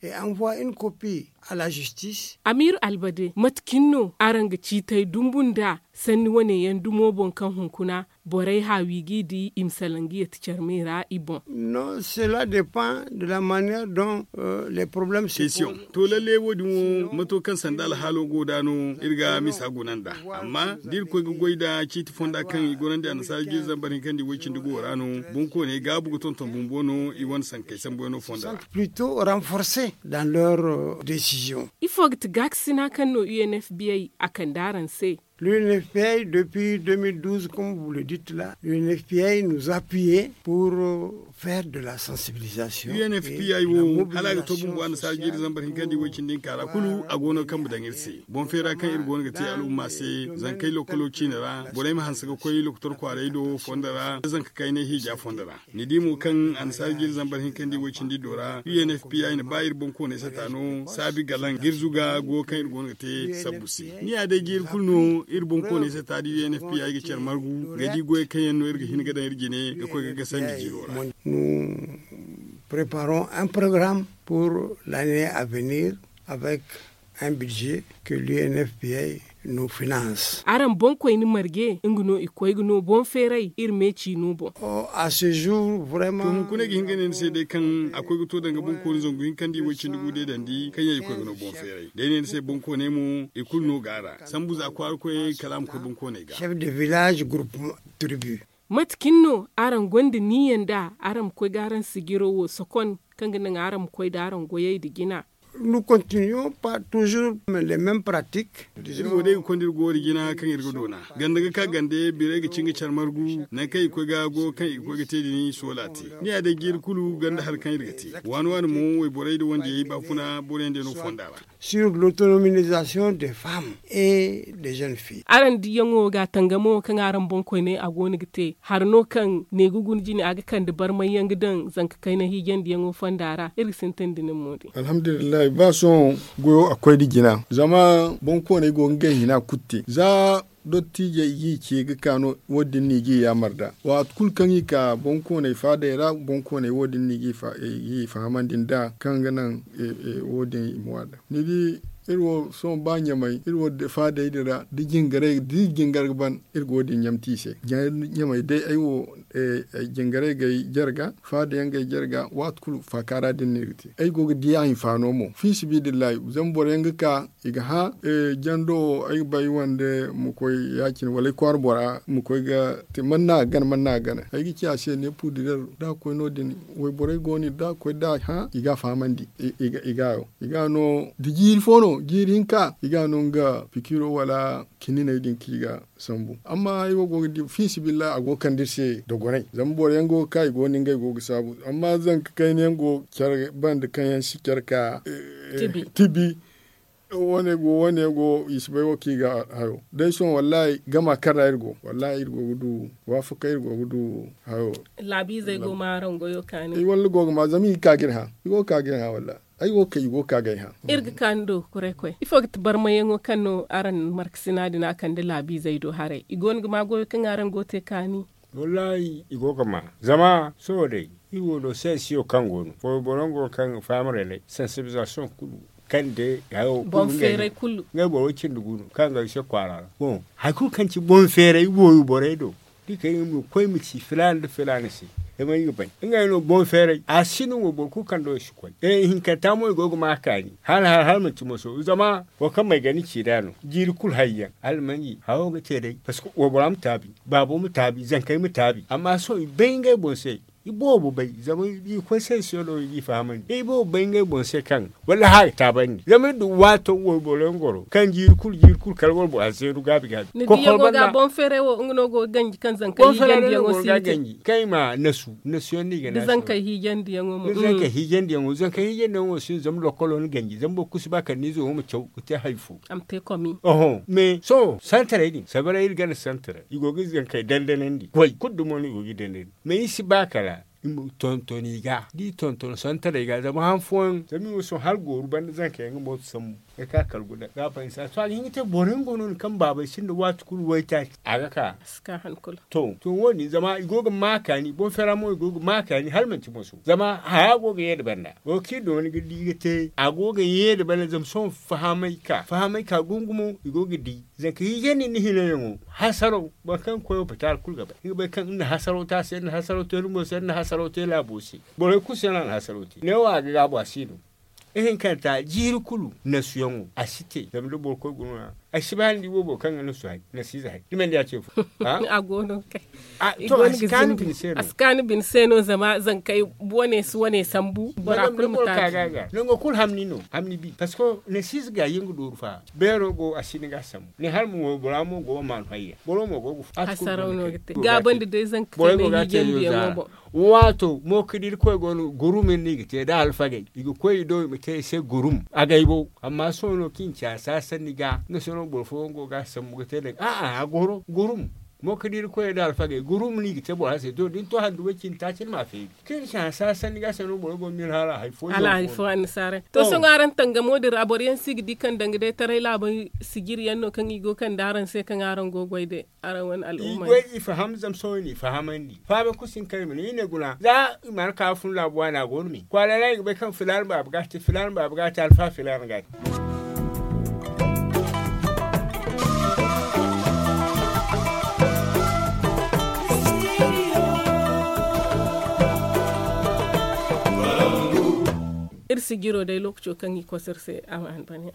et envoie une copie à la justice. Amiiru albade mate cine no araŋ ga ciitay dumbu nda sanni wane yaŋ dumo boŋ kaŋ hunkuna borey haawi g'i di i ma salaŋ ga yeeti care me ra i boŋ? Non, cela dépend de la manière dont les problèmes se posent. To lalle wo- din wo mato kaŋ sanda alhaalo go nd'a no iri ga misa guna nd'a. Amma da iri koy ga goy nda ciiti fonda kaŋ i gorandi annasaara jiiri zambar hinkandi way-cindi go ra no boŋkooney gaabu ga tonton bumbo no i wane sankey sambuyaŋo fonda ra. Plutôt renforcés dans leur décision. Ifo ga ti gaakasina kaŋ no u n f b a a kande araŋ se? L'u n f p a depuis deux mille douze comme vous le dites là l'u n f p a nous appuyer pour faire de la sensibilisation. U n f p a wo hala a ga to bumbo annasaara jiiri zambar hinkandi way-cindi hinka ra kulu a go no kambe daŋ iri se boŋ feera kaŋ iri go no ga te al'umma se zankey lokolo ciine ra borey ma hanse ga koy lokotor kwaaray do fondo ra zanka kaynay hiija fondo ra. Ni di mo kaŋ annasaara jiiri zambar hinkandi way-cindi do ra u n f p a na ba iri boŋkooney sata no saabi galaŋ ga iri zuga go kaŋ iri go no ga te sabbu se. Ni ya day jiiri kulu no iri boŋkooney sata da u n f p a ga care margu ga di goyey kaŋ yaŋ no iri ga hin ga daŋ iri jine ga koy ga gasandi jiiro ra. Nous préparons un programme pour l'année à venir avec un budget que l'u n f p a nous finance. Araŋ boŋkoyne marje nga no i koy ga no boŋ feeray iri me ciino boŋ. À ce jour vraiment. To hunkuna ay ga hin ga ne ni se day kaŋ a koy ga to danga boŋkooni zangu hinka nda i way-cindi gu deedandi kaŋ yaŋ i koy ga no boŋ feeray da ay ne ni se boŋkooney mo i kulu no go a ra sambu za kwaara koyey kala a ma koy boŋkooney ga. Chef de village groupement tribu. Mate cine no araŋ gonda niyya nda araŋ ma koy ga araŋ sijiro wo sokon kaŋ ga naŋ araŋ ma koy nda araŋ goyey nda jina? Nous continuons pas toujours les mêmes pratiques. Iri wo day ga konda iri goori jina kaŋ iri ga doona ganda ga ka gande birey ga cin ga care margu nangu kaŋ i ga koy ga go kaŋ i ga koy ga te din soola te. Ni ya day jiiri kulu ganda hari kaŋ iri ga te waani waani mo wayborey nda wandiyey baafuna boro yaŋ day no fonda ra. Sur l'autonomisation des femmes et des jeunes filles. Araŋ diyaŋo ga a tangamo kaŋ araŋ boŋkoyney a go no ga te hari no kaŋ ne ga guna jine a ga kande barmay yaŋ ga daŋ zanka kayna hiijandiyaŋo fonda ra iri ga sintin da nin mo din. Alhamdulillahi ba sohõ goyo a koy nda jina zama boŋkooney go ga ngey hina kulu te za dottijey i g'i ce ga ka no wo- din no i g'i yaamar nd'a waati kulu kaŋ i ka boŋkooney faadey ra boŋkooney wo- din no i g'i fahamandi nd'a kaŋ ga naŋ wo- din i ma waada. Ni di iri wo sohõ ba ɲamay iri wo faadey din ra da jingaray da iri jingar ga ban iri ga wo- din ɲamti i se. Ɲamay day ay wo jingaray g'ay jarga faada yaŋ g'ay jarga waati kulu faakaara din no iri ga te ay go ga di a hinfaano mo fiisabilillahi zama boro yaŋ ga ka i ga hã jando wo ay ga ba ay wande ma koy ya- cine wala ay kwaara bora ma koy ga te man no a ga gana man no a ga gana ay ga ci a se ne puudirer da a koy no- din wayborey go no iri da a koy da a hã i ga a fahamandi i ga hayo i ga no da jiiri fo no jiiri hinka i ga no nga pikiro wala kininey din kaŋ i ga sambu amma ay wo go ga di fiisabilillahi a go ga kande iri se dogonay zama boro yaŋ go ga ka i go no ngey go ga saabu amma zanka kayna yaŋ go ga care banda kaŋ yaŋ si care ka tibi Wane go wane go i si bay wo kaŋ i ga hayo day sohõ wallahi gama kaŋ ra iri go wallahi iri go ga du waafaka iri go ga du hayo. Laabiizey go ma araŋ goyo kaani walla go ga ma zama i ga ka ga iri hã. I go ga ka ga iri hã wallahi. Ay wo ga kay i go ga ka ga ay hã. Iri ga kaani do kuray koy ifo ga ti barmayaŋo kaŋ no araŋ markasina din a kande laabiizey do haray i go no ga ma goyo kaŋ araŋ go ga te kaani. Wallahi i go ga ma zama sohõ day iri wo do sensiyo kaŋ go no foy boro yaŋ go no kaŋ ga faham relay sensibizaasiyoŋ kulu kaŋ day hayo kulu ngey no. Ngey boro cindi gu no kaŋ ga ay se kwaara ra. Boŋ hari kulu kaŋ ci boŋ feeray wooyo borey do da i kay nga ma koy ma ci filaana nda filaana se. Zama i ga bay ngey no boŋ feeray a si no wo boro kulu kaŋ do i si koy. Ihinkanta mo i go ga ma kaani hala hala manti moso zama wo kaŋ may ga ni ci nd'a no jiiri kulu hari yaŋ hala manji hawo ga te day parceque wo bora ma taabi baabo ma taabi zankey ma taabi amma sohõ i bay ngey boŋ se. I boobo bay zama i koy sensiyo no i g'i fahamandi i boobo bay ngey boŋ se kaŋ walla hã ga taabandi zama iri du waato wayboro yaŋ goro kaŋ jiiri kulu jiiri kulu kala waybora zeenu gaabi gaabi. Ni diyaŋo ga boŋ feeray wo nga no go ga ganji kaŋ zankey hiijandiyaŋo si ga te kaŋ i ma nasu nasu yaŋ no i ga nasu da zankey hiijandiyaŋo mo da zankey hiijandiyaŋo zankey hiijandiyaŋo si no zama lokkolo ni ganji zama boro kulu si ba kala ni izo wo ma caw ga te hari fo. A ma te komi oho mais sohõ santaray din sabaray iri ganda santaray i go ga zankey dandanandi goy kulu dumo no i go ga i dandanandi. Mais i si ba kala i ma tonton i ga da i tonton santaray ga zama han fooyaŋ zama i wo sohõ hala gooru banda zanka yaŋ ga mooto sambu ga ka kala guda ga a fahimsa to a ga hin ga te boro yaŋ go no ni kaŋ baabey sinda waati kulu waytaaci a ga ka. To to wo- din zama i go ga ma kaani boŋ feera mo i go ga ma kaani hala manti moso zama haya go ga ye nda banda wo kaŋ i dooni ga di ga te a go ga ye nda banda zama sohõ fahamay ka fahamay ka gungumo i go ga di. Zanka hiijandi nda hinayaŋo hasaraw boro kaŋ ga koy opitaal kulu ga bay nga bay kaŋ nga na hasaraw te a se nga na hasaraw te ni mo se nga na hasaraw te laabo se. Borey kulu se no a na hasaraw te neewo a ga gaabu a si no. Ihinkanta jiiri kulu nasuyaŋo a si te zama da boro koy guna. Ay si ba ni di boobo kaŋ ga nasu hari nasiize hari ni mana di a ce fo. A go no kay. A si kaanu bine se no zama zankey wane si wane sambu bora kulu ma taaji. Nango kulu hamni no hamni bi parceque nasiize ga yin ga dooru fa beero go a si ni ga sambu ni hala mo bora mo go ga maanu hayya boro mo go ga fu. Gaabandi day zanka borey go ga te yo zaara. Waato mo ka di irkoy go no gurum iri no i ga te da alfagey i ga koy i do i ma te i se gurum agay bo. Amma sohõ no kaŋ i ci a saasanni ga nga sohõ no boro fooyaŋ go ga a sambu ga te daŋ a'a a goro gurum. Mo ka di irkoy da alfagey gurum no i ga te bora se to da ni to handu way cindi taaci ni ma a feeri kaŋ i ci a saasanni ga se no boro go ga miila hala hari fo. Hala hari fo annasaarey to sohõ araŋ tangamo din ra boro yaŋ si ga di kaŋ danga day taray laabey sijiri yaŋ no kaŋ i go kande araŋ se kaŋ araŋ go ga goy day. Araŋ wane al'umma i goy i faham zama sohõ i n'i fahamandi faaba kulu si hin kaŋ i ma ne i ne guna za i mana ka ga fun laabu waana a go no me kwaara ra i ga bay kaŋ filaana baaba ga a te filaana baaba ga a te alfa filaana ga a te. Iri sijiro day lookaco kaŋ i koso iri se a ma hanbaniya.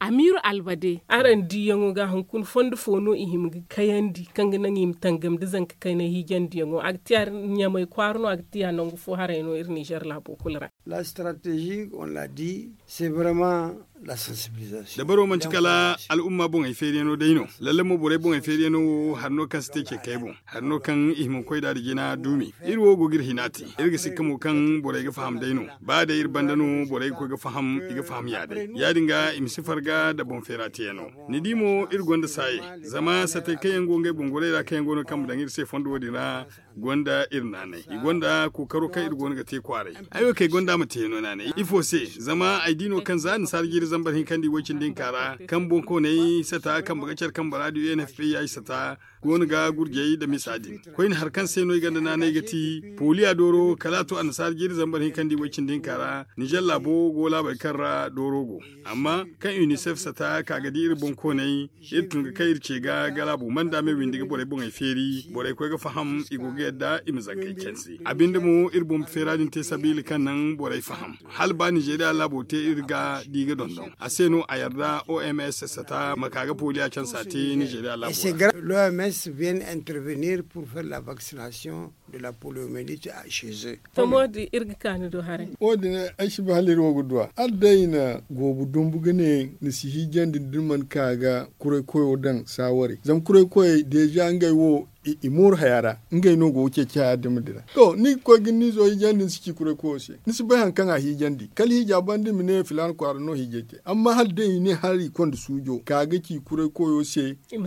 Amiiru albade araŋ diiyaŋo ga hunkuna fondo fo no i hima ga kayandi kaŋ ga naŋ i ma tangam da zanka kaynay hiijandiyaŋo a ga tiya ɲamay kwaara no a ga tiya nangu fo haray no iri nizer laabo kulu ra. La stratégie on l'a dit c'est vraiment la sensibilisation. Dabaro manti kala al'umma boŋey feeriyaŋo day no lalle mo borey boŋey feeriyaŋo wo hari no kaŋ si te ceekey boŋ. Hari no kaŋ i hima koy da da jina duumi iri wo go ga iri hina te. Iri ga sikka mo kaŋ borey ga faham day no ba day iri banda no borey ga koy ga faham i ga faham ya day ya- din ga i ma si farga nda boŋ feera teeyaŋo. Ni di mo iri gonda saaye zama satey kaŋ yaŋ go ngey boŋ goray ra kaŋ yaŋ go no ga kambe daŋ iri se fondo wo- din ra. Gonda iri naanay i gonda kookaro kaŋ iri go no ga te kwaaray. Ay wo kaŋ ay gonda a ma teeyaŋo naanay ifo se? Zama ay di no kaŋ za annasaara jiiri zambar hinkandi way-cindi hinka ra kaŋ boŋ koonay sata kambe ga care kambe ra da u n f p i sata go no ga gurjey nda misa din. Koyne hari kaŋ se no i gonda naanay ga ti pooliya dooro kala a to annasaara jiiri zambar hinkandi way-cindi hinka ra nizer laabo go laabey kaŋ ra dooro go. Amma kaŋ unicef sata ka ga di iri boŋ koonay iri tun ga kay iri ce ga galabu manda me windi ga borey boŋey feeri borey koy ga faham i go ga yadda i ma zankey canse a binde mo iri boŋ feera din te sabiila kaŋ naŋ borey faham. Hala ba nizeriya laabo te iri ga di ga dondon a se no a yarda oms sata ma ka ga pooliya cansa te nizeriya laabo ra. L'oms vient intervenir pour faire la vaccination de la poliomyélite chez eux. To mo- din iri ga kaani do haray. Wo- din ay si ba hala iri wo ga duwa hala day i na goobu dumbu ga ne ni si hiijandi da ni mana ka ga kuray koyo daŋ saawari zama kuray koyey deeza ngey wo. I mooru haya ra, ngey no go ga ceeci haya din ma dira. To ni ga koy ga ni zo hiijandi ni si ci kuray koyo se, ni si bay hari kaŋ a hiijandi kala hiija banda i ma ne filaana kwaara no hiijay te. Amma hala day i ne hala i konda suujo ka ga ci kuray koyo se, i ma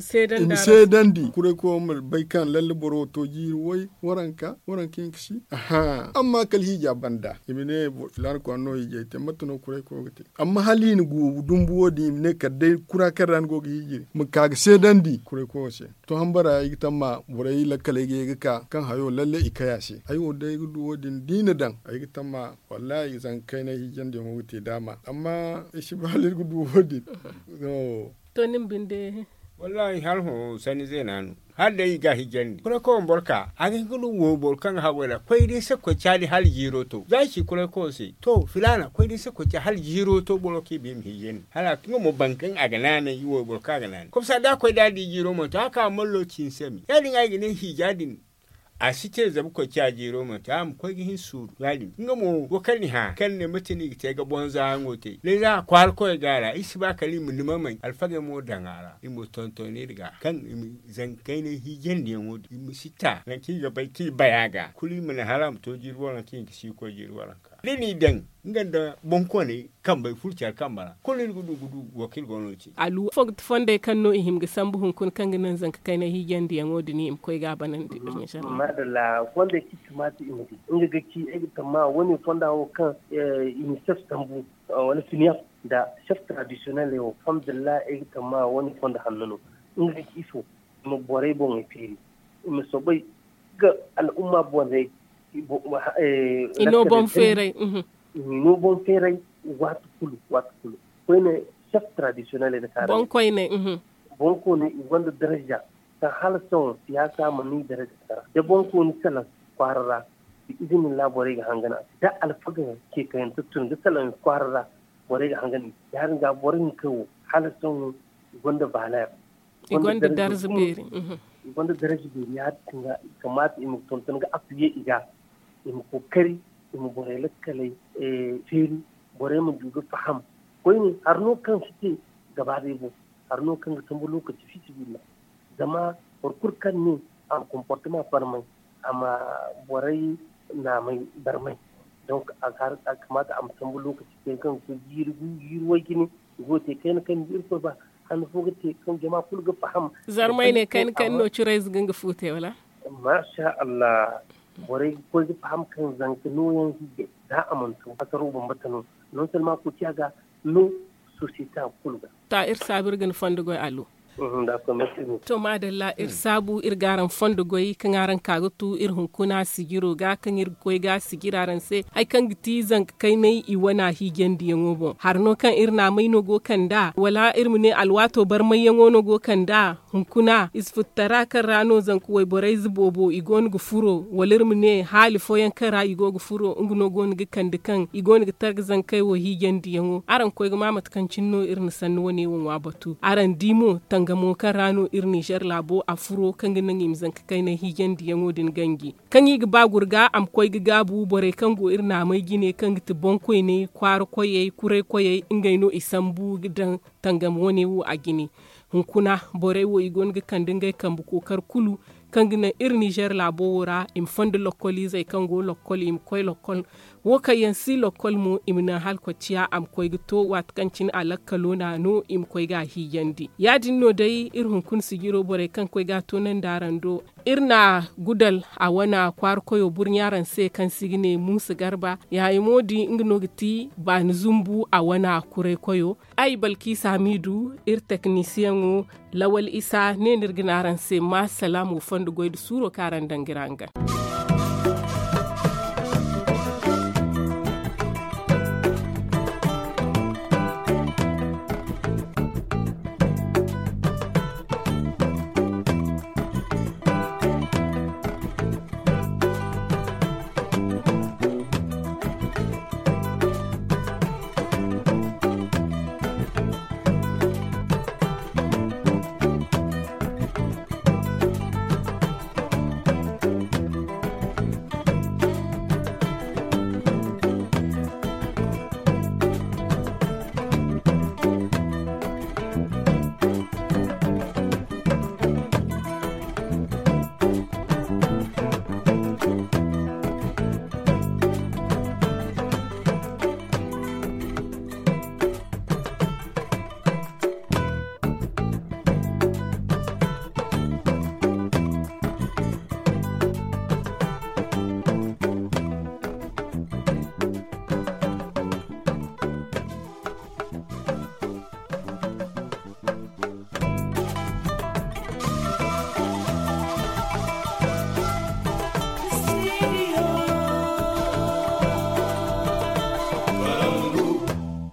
seedandi kuray koyo ma bay kaŋ lalle boro wo to jiiri way, waranka waranka hinka si. Amma kala hiija banda i ma ne filaana kwaara no hiijay te mate no kuray koyo ga te. Amma hala i na gu dumbu wo- din i ma ne kala day kura kaŋ ra ni go ga hiijiri ma ka ga seedandi kuray koyo se. To hambara ay ga tamma borey lakkaley ga ye ga ka kaŋ hayo lalle i kay a se ay wo day ay ga du wo- din da i na daŋ ay ga tamma. Wallahi zanka kayna hiijandiyaŋo ga te daama amma ay si ba hala iri ga du wo- din. To ni ma binde. Wallahi hala hõ sanni zeena no hala day i ga a hijandi kuray koy wamborka a ga hin ga no wo boro kaŋ ga haggoy ra koy day se koy caadi hala jiiro to za i ci kuray koyo se to filaana koy day se koy caadi hala jiiro to boro kaŋ i ba i ma hijandi hala nga mo boro kaŋ a ga naanay i wo boro kaŋ a ga naanay komsa da a koy da a di jiiro mo to a ka mallo ci ni se me ya- din a ga ne hija din. A si te zama koy ciya jeero manti a ma koy ga hin suuru ya- din nga mo wo kaŋ ni hã kaŋ ni ne mate no i ga te ga bonza yaŋo te day za a kwaara koy ga a ra i si ba kala i ma ni mamay alfagey mo daŋ a ra i ma tonton iri ga kaŋ i ma zankayne hiijandiyaŋo din i ma si ta nangu kaŋ i ga bay kaŋ i bay a ga kulu i ma naŋ hala a ma to jiiri waranka i hinka si koy jiiri waranka da ni daŋ nga nda boŋkooney kambey furo care kambe ra kulu iri ga du ga du wo kaŋ iri go no ga ci. Alu fo ga ti fondey kaŋ no i hima ga sambu hunkuna kaŋ ga naŋ zanka kayna hiijandiyaŋo din i ma koy ga a banandi. Maadalla fondey kaŋ i kamata i ma di nga ga ci ay ga tamma wane fonda wo kaŋ i ma sef sambu wala finiyaf nda sef taradisiyonel wo alhamdulillahi ay ga tamma wane fondo hanno no nga ga ci ifo i ma borey boŋey feeri i ma soobay ga al'umma borey i no boŋ feeray i no boŋ feeray waati kulu waati kulu koyne sef taradisiyonel ay na kaara boŋ koyne i gonda daraja kaŋ hala sohõ siyaasa mana i daraja sara da boŋ kooni salaŋ kwaara ra da izini ra borey ga hangan a se da alfaga ceekayante tun da salaŋ kwaara ra borey ga hangan i se ya- din ga boro hinkey wo hala sohõ i gonda vaaleer i gonda darza beeri i gonda darza beeri ya- din ga i kamaata i ma tonton ga afiye i ga i ma kookari i ma borey lakkaley feeri borey ma du ga faham koyne hari no kaŋ si te gaba day boŋ hari no kaŋ ga sambu lookaci fiisabilillahi zama boro kulu kaŋ ne a ma komportema barmay a ma borey naamay barmay donk a ga kamaata a ma sambu lookaci kaŋ ga koy jiiri gu jiiri way jine i go ga te kayna kayna da irkoy ba handu fo ga te kaŋ jama kulu ga faham zarmay ne kayna kayna no curayze ga nga fu te wala maasa allah borey ga koy ga faham kaŋ zanka nooyaŋ hiijay za a mana to hasaro bambata no non selma koociya ga no sosiyete kulu ga ta iri saabu iri ga ni fondo goy allo to maadalla iri saabu iri ga araŋ fondo goy kaŋ araŋ ka ga tu iri hunkuna sijiro ga kaŋ iri ga koy ga sijira araŋ se hari kaŋ ga ti zanka kaynay i wana hiijandiyaŋo boŋ hari no kaŋ iri naamay no go kand'a wala iri ma ne alwaato barmayyaŋo no go kand'a hunkuna ize futtara kaŋ ra no zanka wayborayze boobo i go no ga furo wala iri ma ne haali fooyaŋ kaŋ ra i go ga furo nga no go no ga kande kaŋ i go no ga targa zankey wo hiijandiyaŋo araŋ koy ga ma mate kaŋ cine no iri na sanni wane wo ŋwa batu araŋ di mo tangamo kaŋ ra no iri nizer laabo a furo kaŋ ga naŋ i ma zanka kayna hiijandiyaŋo din ganji kaŋ i ga ba gurga a ma koy ga gaabu borey kaŋ go iri naamay jine kaŋ ga ti boŋkoyney kwaara koyey kuray koyey ngey no i sambu ga daŋ tangam wane wo a jine hunkuna borey wo i go no ga kande ngey kambe kookar kulu kaŋ ga naŋ iri nizer laabo wo ra i ma fondo lokkoliizey kaŋ go lokkol i ma koy lokkol wo kaŋ yaŋ si lokkol mo i ma naŋ hala koy ciya a ma koy ga to waati kaŋ cine a lakkalo n'a no i ma koy ga a hiijandi ya- din no day iri hunkuna sijiro borey kaŋ koy ga a toonandi araŋ do iri na gudal a wana kwaara koyo burɲa araŋ se kaŋ se i ga ne muusa garba yaayamo di nga no ga ti baani zumbu a wana kuray koyo ay balkiisa hamiidu iri teknisiyaŋo lawal isa ne no iri ga ne araŋ se ma salaamo fondo goy nda suuro kaŋ araŋ daŋ ga iri hangan